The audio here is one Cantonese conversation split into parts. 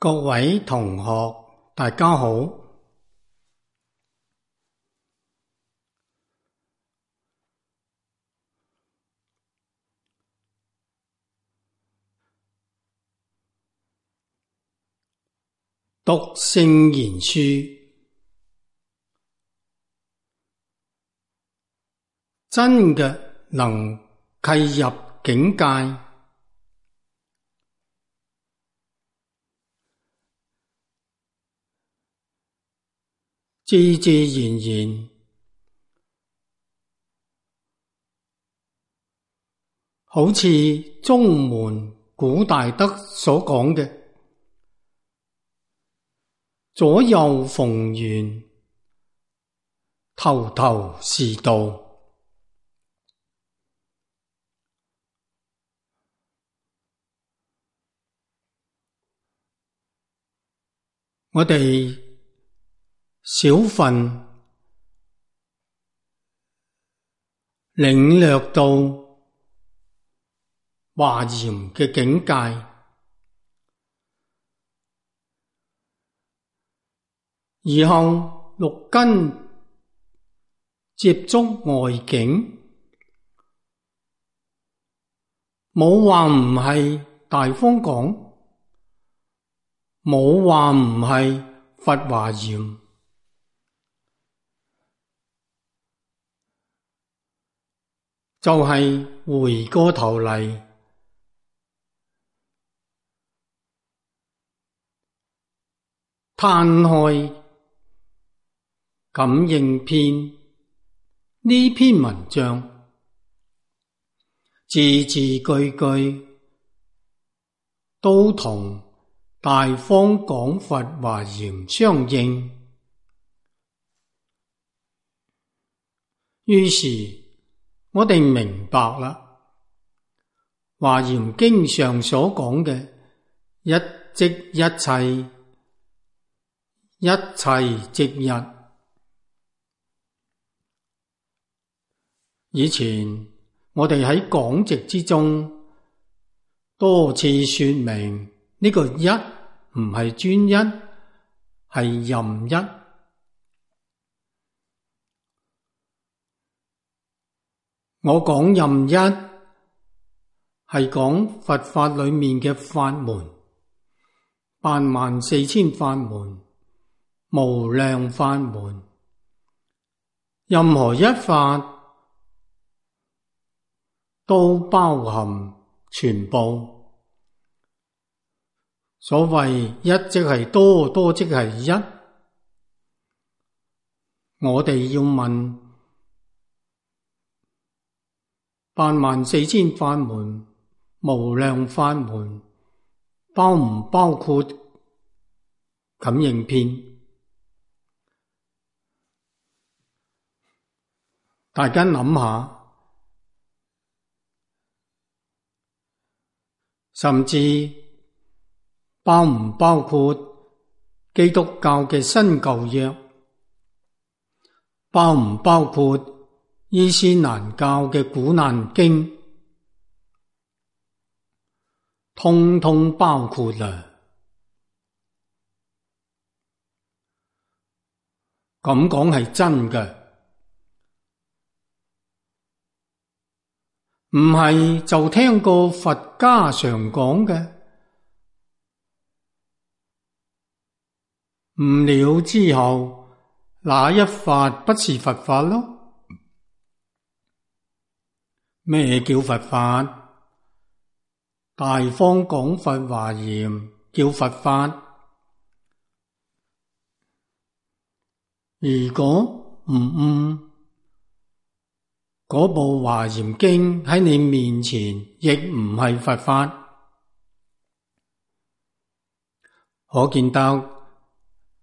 各位同學，大家好。讀聖賢書，真嘅能契入境界，自自然然，好似中門古大德所講嘅，左右逢源，頭頭是道。我哋少分領略到華嚴嘅境界，以後六根接觸外境，冇話唔係大方廣，冇話唔係佛華嚴，就係回過頭嚟攤開感應篇呢篇文章，字字句句都同大方廣佛華嚴相應，於是我哋明白啦，華嚴經上所講嘅一即一切，一切即一。以前我哋喺講籍之中多次說明，呢個一唔係專一，係任一。我講任一係講佛法裏面嘅法門，84000法門，無量法門，任何一法都包含全部。所謂一即係多，多即係一。我哋要問84000法門，無量法門，包唔包括感應篇？大家諗下，甚至包唔包括基督教嘅新舊約？包唔包括伊斯蘭教嘅古蘭經？通通包括啦。咁講係真嘅，唔係就聽過佛家常講嘅，悟了之後，那一法不是佛法咯？咩叫佛法？大方廣佛華嚴叫佛法。如果唔悟，嗰部華嚴經喺你面前亦唔係佛法。可見得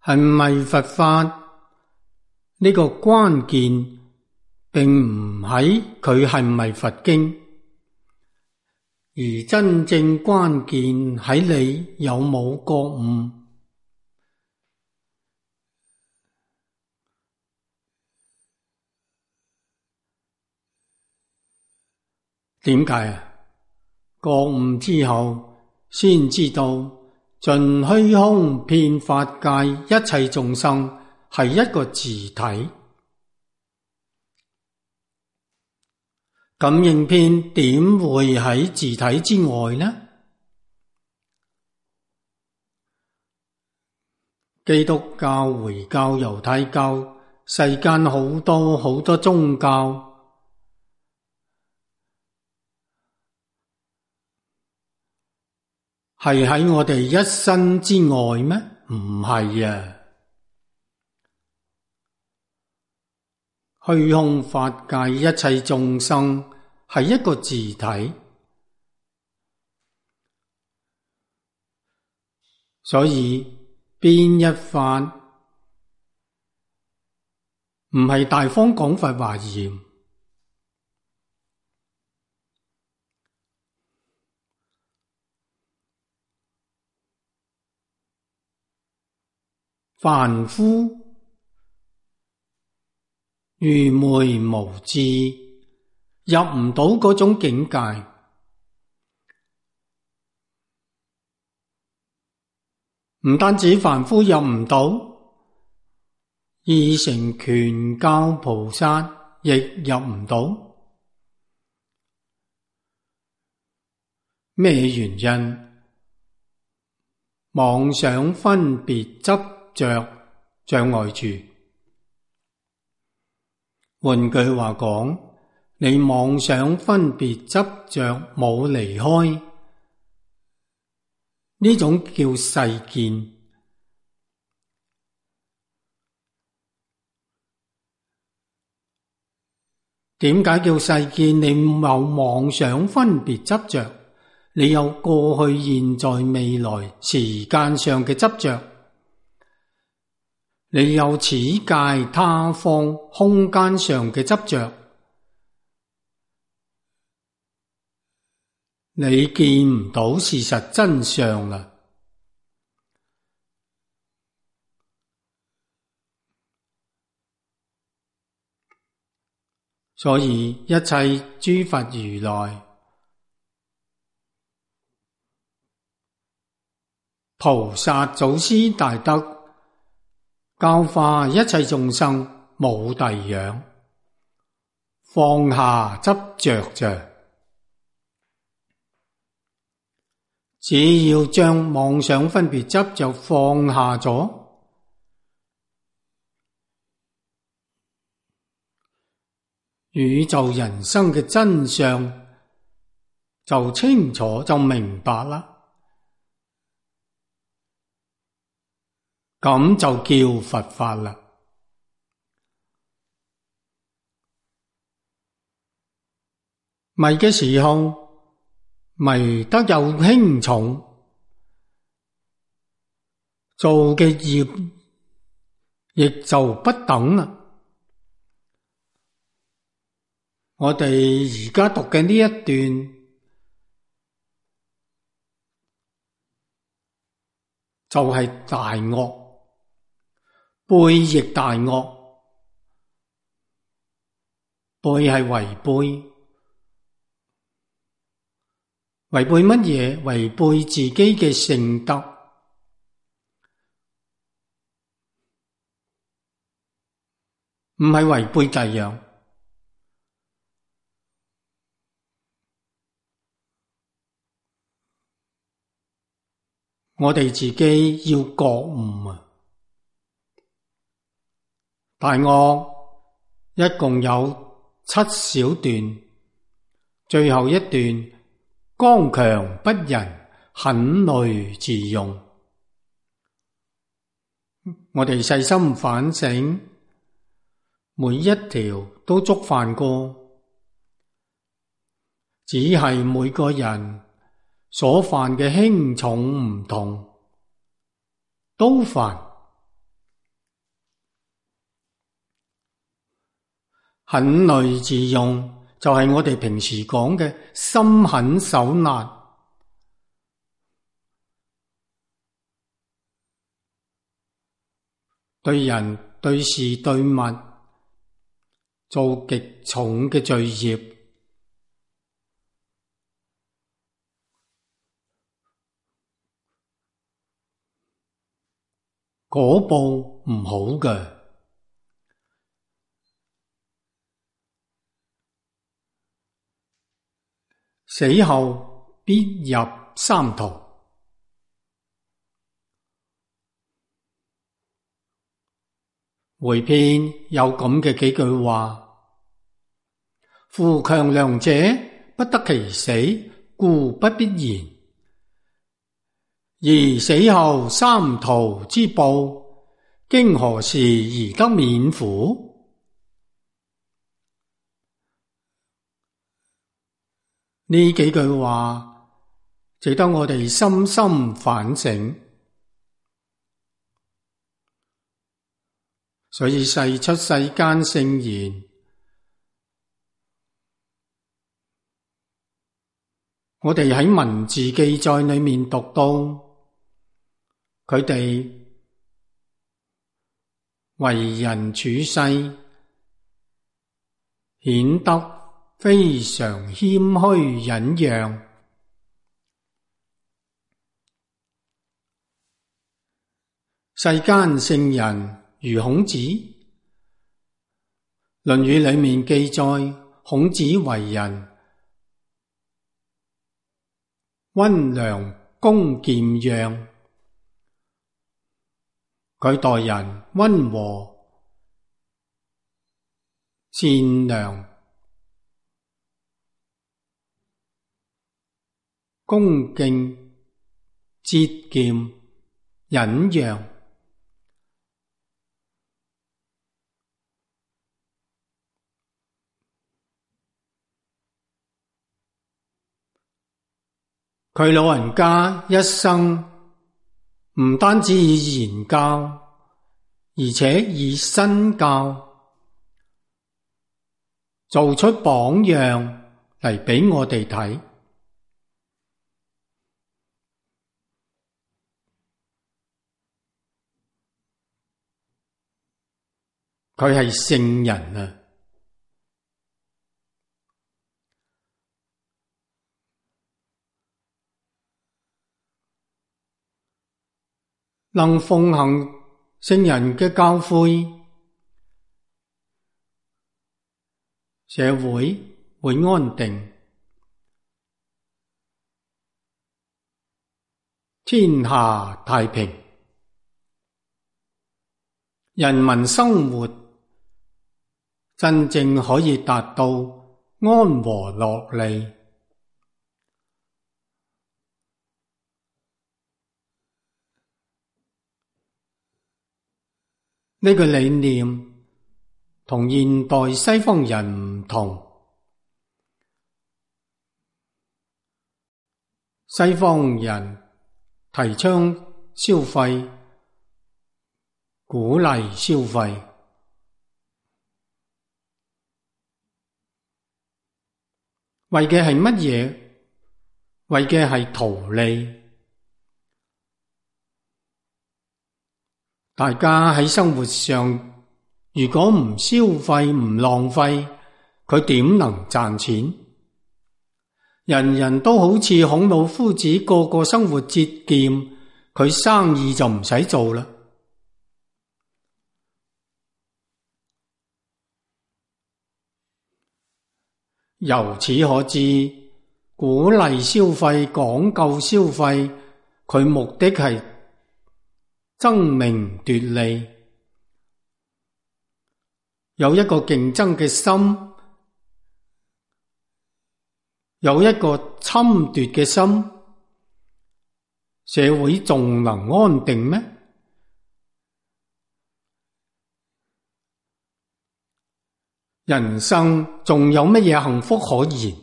係唔係佛法呢個關鍵並唔喺佢係唔係佛經，而真正關鍵喺你有冇覺悟。點解啊？覺悟之後先知道盡虛空遍法界一切眾生係一個自體。感應篇點會喺自體之外呢？基督教、回教、猶太教，世間好多宗教，係喺我哋一身之外咩？唔係啊！虛空法界一切眾生係一個自體，所以邊一法唔係大方廣佛華嚴，凡夫愚昧無知，入唔到嗰種境界。唔單止凡夫入唔到，二乘權教菩薩亦入唔到。咩原因？妄想分別執着障礙住。換句話講，你妄想分別執着冇離開，呢種叫世見。點解叫世見？你有妄想分別執着，你有過去、現在、未來時間上嘅執着，你有此界他方空間上嘅執着，你見唔到事實真相啦。所以一切諸佛如來、菩薩、祖師大德教化一切眾生冇第樣，放下執着啫。只要將妄想分別執着放下咗，宇宙人生嘅真相就清楚，就明白啦。咁就叫佛法啦。迷嘅時候，迷得又輕重，做嘅業亦就不等啦。我哋而家讀嘅呢一段就係大惡，背逆大惡，背係違背，違背乜嘢？違背自己嘅聖德，唔係違背第樣。我哋自己要覺悟啊！大惡一共有7小段，最後一段剛強不仁，狠戾自用。我哋細心反省，每一條都觸犯過，只係每個人所犯嘅輕重唔同，都犯。狠戾自用就係我哋平時講嘅心狠手辣，對人對事對物做極重嘅罪業。果報唔好嘅。死後必入三途。回篇有咁嘅幾句話：夫強梁者不得其死，故不必言。而死後三途之報，經何時而得免乎？呢幾句話值得我哋深深反省。所以世出世間聖賢，我哋喺文字記載裏面讀到，佢哋為人處世，顯得非常謙虛忍讓。世間聖人如孔子，《論語》裏面記載孔子為人溫良恭儉讓，佢待人溫和善良恭敬節儉忍讓。佢老人家一生唔單止以言教，而且以身教，做出榜樣嚟俾我哋睇。佢係聖人啊！能奉行聖人嘅教誨，社會會安定，天下太平，人民生活真正可以達到安和樂利。呢個理念同現代西方人唔同。西方人提倡消費，鼓勵消費，為嘅係乜嘢？為嘅係圖利。大家喺生活上，如果唔消費唔浪費，佢點能賺錢？人人都好似孔老夫子，個個生活節儉，佢生意就唔使做啦。由此可知，鼓勵消費、講究消費，佢目的係爭名奪利，有一個競爭嘅心，有一個侵奪嘅心，社會仲能安定咩？人生仲有乜嘢幸福可言？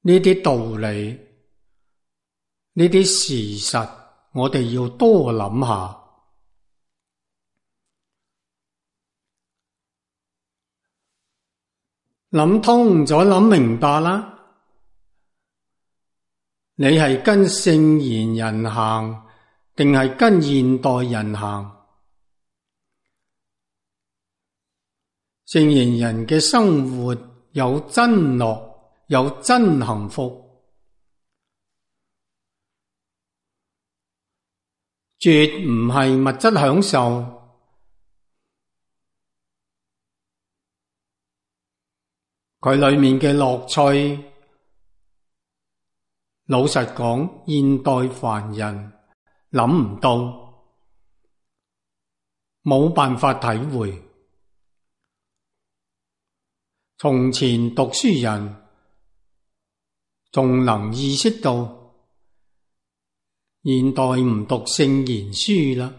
呢啲道理，呢啲事實，我哋要多諗下。諗通咗，諗明白啦。你係跟聖賢人行，定係跟現代人行？聖賢人嘅生活有真樂，有真幸福，絕唔係物質享受。佢裏面嘅樂趣，老實講，現代凡人諗唔到，冇辦法體會。從前讀書人仲能意識到，現代唔讀聖賢書啦，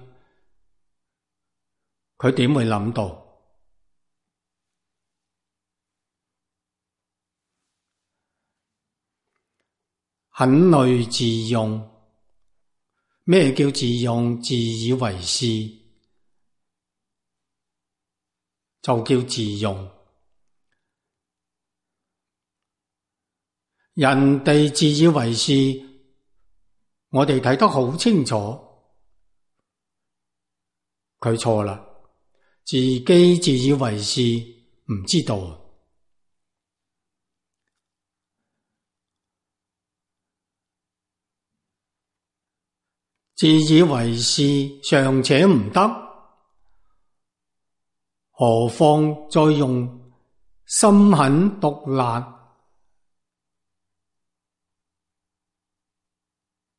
佢點會諗到？很累自用。咩叫自用？自以為是就叫自用。人哋自以為是，我哋睇得好清楚，佢錯啦。自己自以為是，唔知道。自以為是尚且唔得，何況再用心狠毒辣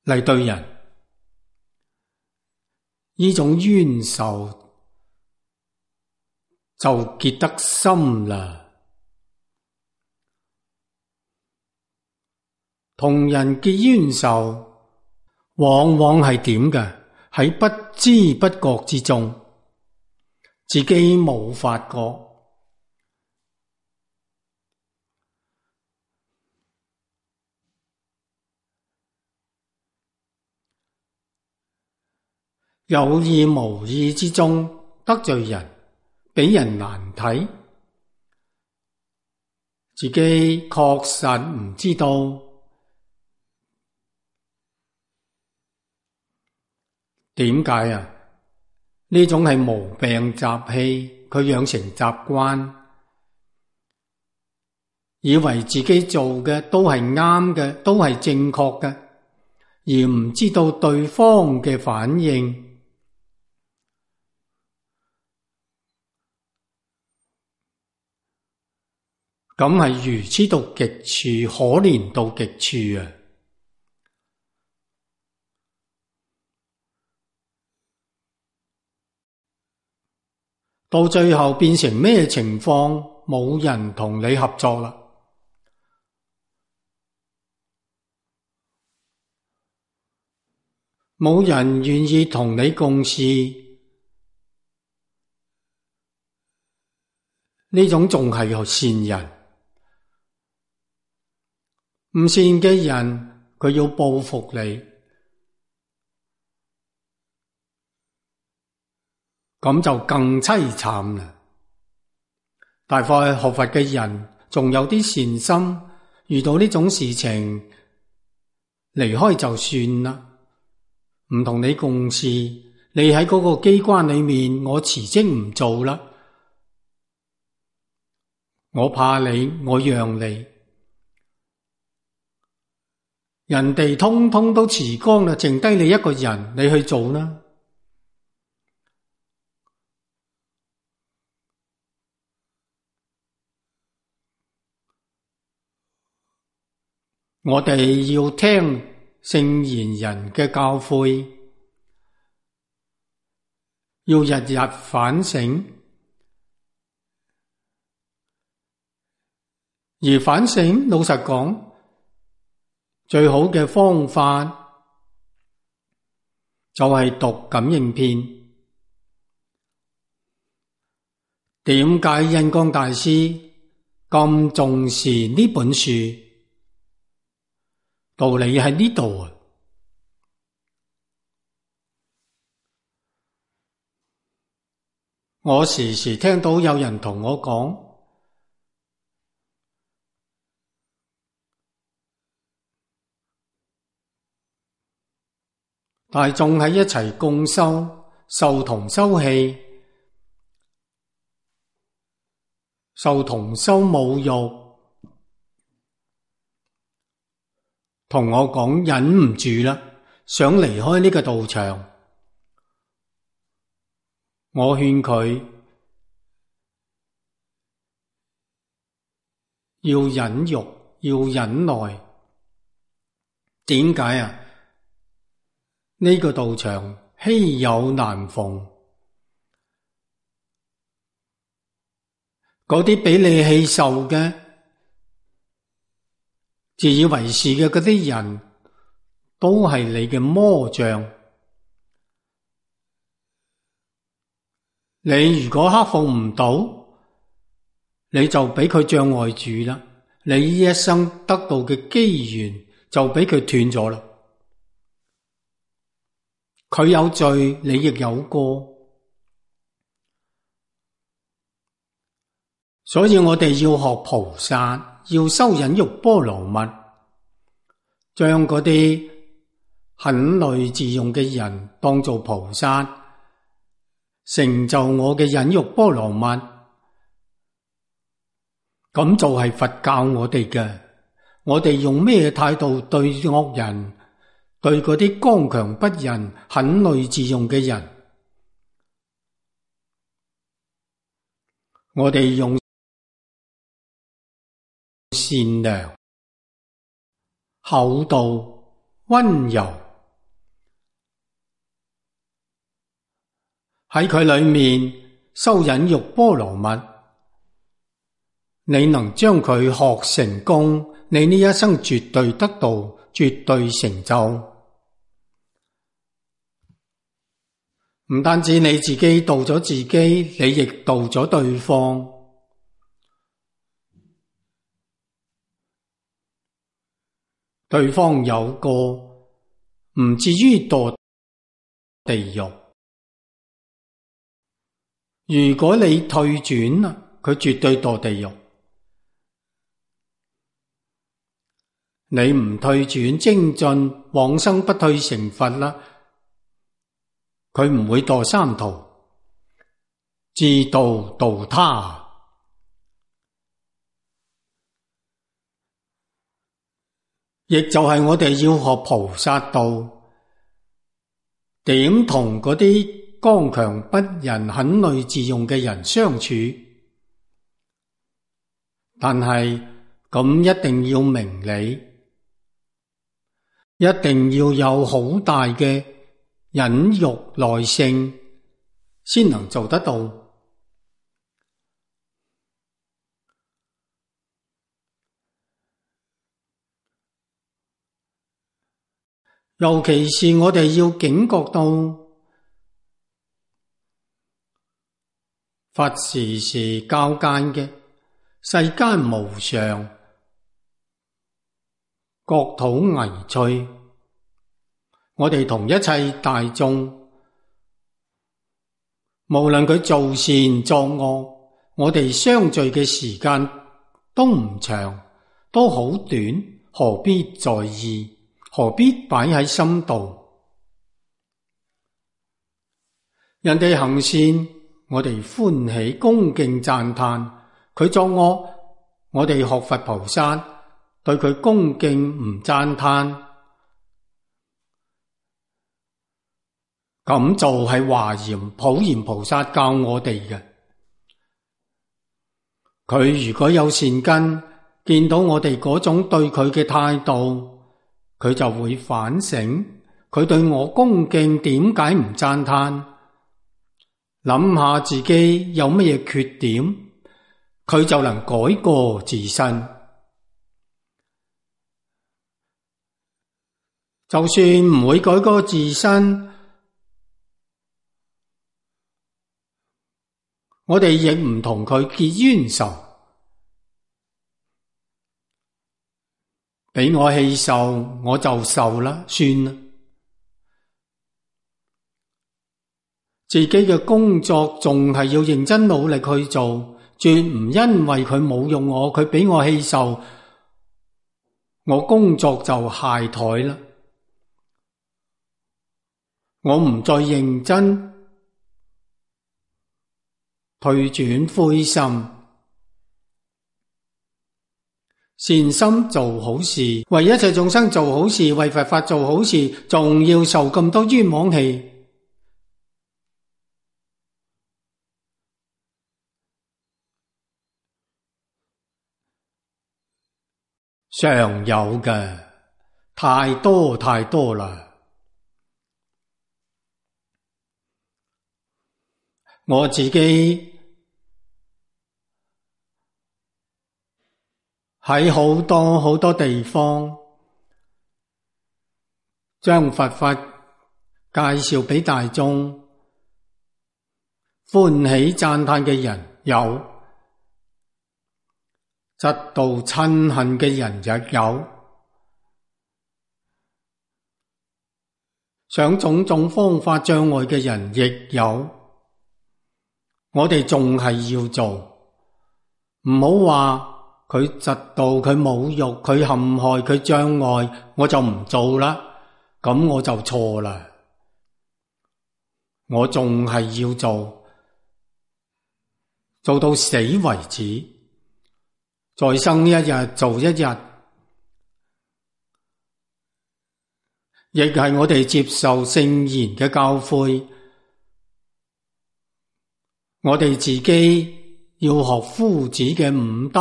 嚟對人？呢種冤仇就結得深啦。同人結冤仇，往往係點嘅？喺不知不覺之中，自己冇發覺。有意無意之中得罪人，俾人難睇，自己確實唔知道。點解啊？呢種係毛病習氣，佢養成習慣，以為自己做嘅都係啱嘅，都係正確嘅，而唔知道對方嘅反應。咁係愚痴到極處，可憐到極處啊！到最後變成咩情況？冇人同你合作啦，冇人願意同你共事，呢種仲係善人。唔善嘅人，佢要報復你，咁就更淒慘啦。大概學佛嘅人仲有啲善心，遇到呢種事情，離開就算啦，唔同你共事。你喺嗰個機關裏面，我辭職唔做啦，我怕你，我讓你。人哋通通都辭光啦，剩低你一個人，你去做啦。我哋要聽聖賢人嘅教誨，要日日反省，而反省，老實講，最好嘅方法就係讀感應篇。點解印光大師咁重視呢本書？道理喺呢度啊！我時時聽到有人同我講，大眾喺一齊共修，受同修氣，受同修侮辱，同我講忍唔住啦，想離開呢個道場。我勸佢要忍辱，要忍耐。點解啊？呢個道場稀有難逢，嗰啲俾你氣受嘅、自以為是嘅嗰啲人，都係你嘅魔障。你如果克服唔到，你就俾佢障礙住啦，你呢一生得到嘅機緣就俾佢斷咗啦。佢有罪，你亦有過，所以我哋要學菩薩，要修忍辱波羅蜜，將嗰啲很累自用嘅人當做菩薩，成就我嘅忍辱波羅蜜。咁就係佛教我哋嘅。我哋用咩態度對惡人，對嗰啲剛強不仁、很累自用嘅人？我哋用善良、厚道、溫柔，喺佢裏面修忍辱波羅蜜。你能將佢學成功，你呢一生絕對得到，絕對成就。唔單止你自己度咗自己，你亦度咗對方。對方有個唔至於墮地獄。如果你退轉啦，佢絕對墮地獄。你唔退轉精進，往生不退成佛啦，佢唔會墮三途，自度度他。亦就係我哋要學菩薩道，點同嗰啲剛強不仁、很累自用嘅人相處。但係咁一定要明理，一定要有好大嘅忍辱耐性，先能做得到。尤其是我哋要警覺到，佛時時教誡嘅世間無常，國土危脆。我哋同一切大眾，無論佢做善作惡，我哋相聚嘅時間都唔長，都好短，何必在意？何必擺喺心度？人哋行善，我哋歡喜恭敬讚嘆；佢作惡，我哋學佛菩薩，對佢恭敬唔讚嘆。咁就係華嚴普賢菩薩教我哋嘅。佢如果有善根，見到我哋嗰種對佢嘅態度，佢就會反省，佢對我恭敬點解唔讚嘆？諗下自己有乜嘢缺點，佢就能改過自身。就算唔會改過自身，我哋亦唔同佢結冤仇。俾我氣受，我就受啦，算啦。自己嘅工作仲係要認真努力去做，絕唔因為佢侮辱我，佢俾我氣受，我工作就懈怠啦。我唔再認真，退轉灰心。善心做好事，為一切眾生做好事，為佛法做好事，仲要受咁多冤枉氣，常有嘅，太多太多啦。我自己喺好多好多地方將佛法介紹俾大眾，歡喜讚嘆嘅人有，嫉妒嗔恨嘅人亦有，想種種方法障礙嘅人亦有。我哋仲係要做，唔好話佢嫉妒，佢侮辱，佢陷害，佢障礙，我就唔做啦，咁我就錯啦。我仲係要做，做到死為止，再生一日做一日，亦係我哋接受聖言嘅教誨。我哋自己要學夫子嘅五德，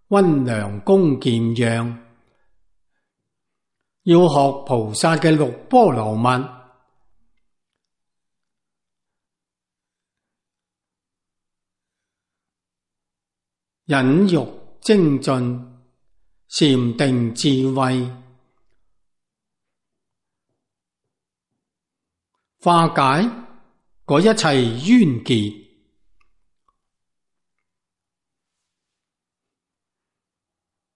溫良恭儉讓，要學菩薩嘅六波羅蜜，忍辱精進，禪定智慧，化解嗰一切冤結。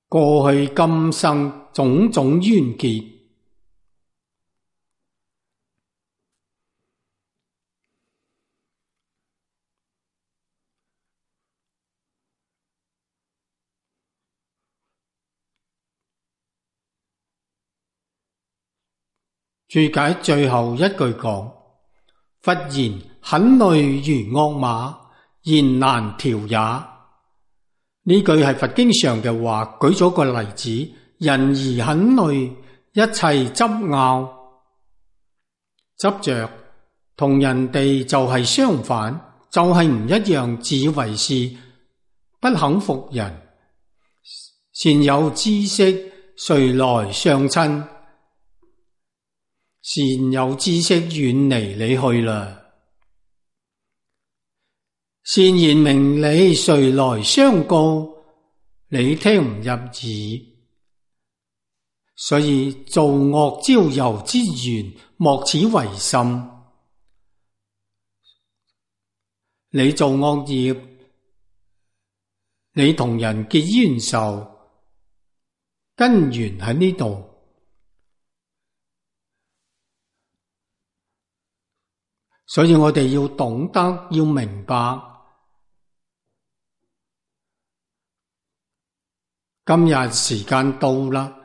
過去今生種種冤結，註解最後一句講：佛言很累如惡馬，言難調也。呢句係佛經上嘅話，舉咗個例子，人兒很累，一切執拗執着，同人哋就係相反，就係唔一樣，自以為是，不肯服人。善有知識，誰來相親？善有知識遠離你去啦。善言明理，誰來相告？你聽唔入耳。所以造惡招尤之源，莫此為甚。你做惡業，你同人結冤仇，根源喺呢度。所以我哋要懂得，要明白。今日時間到啦，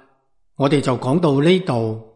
我哋就講到呢度。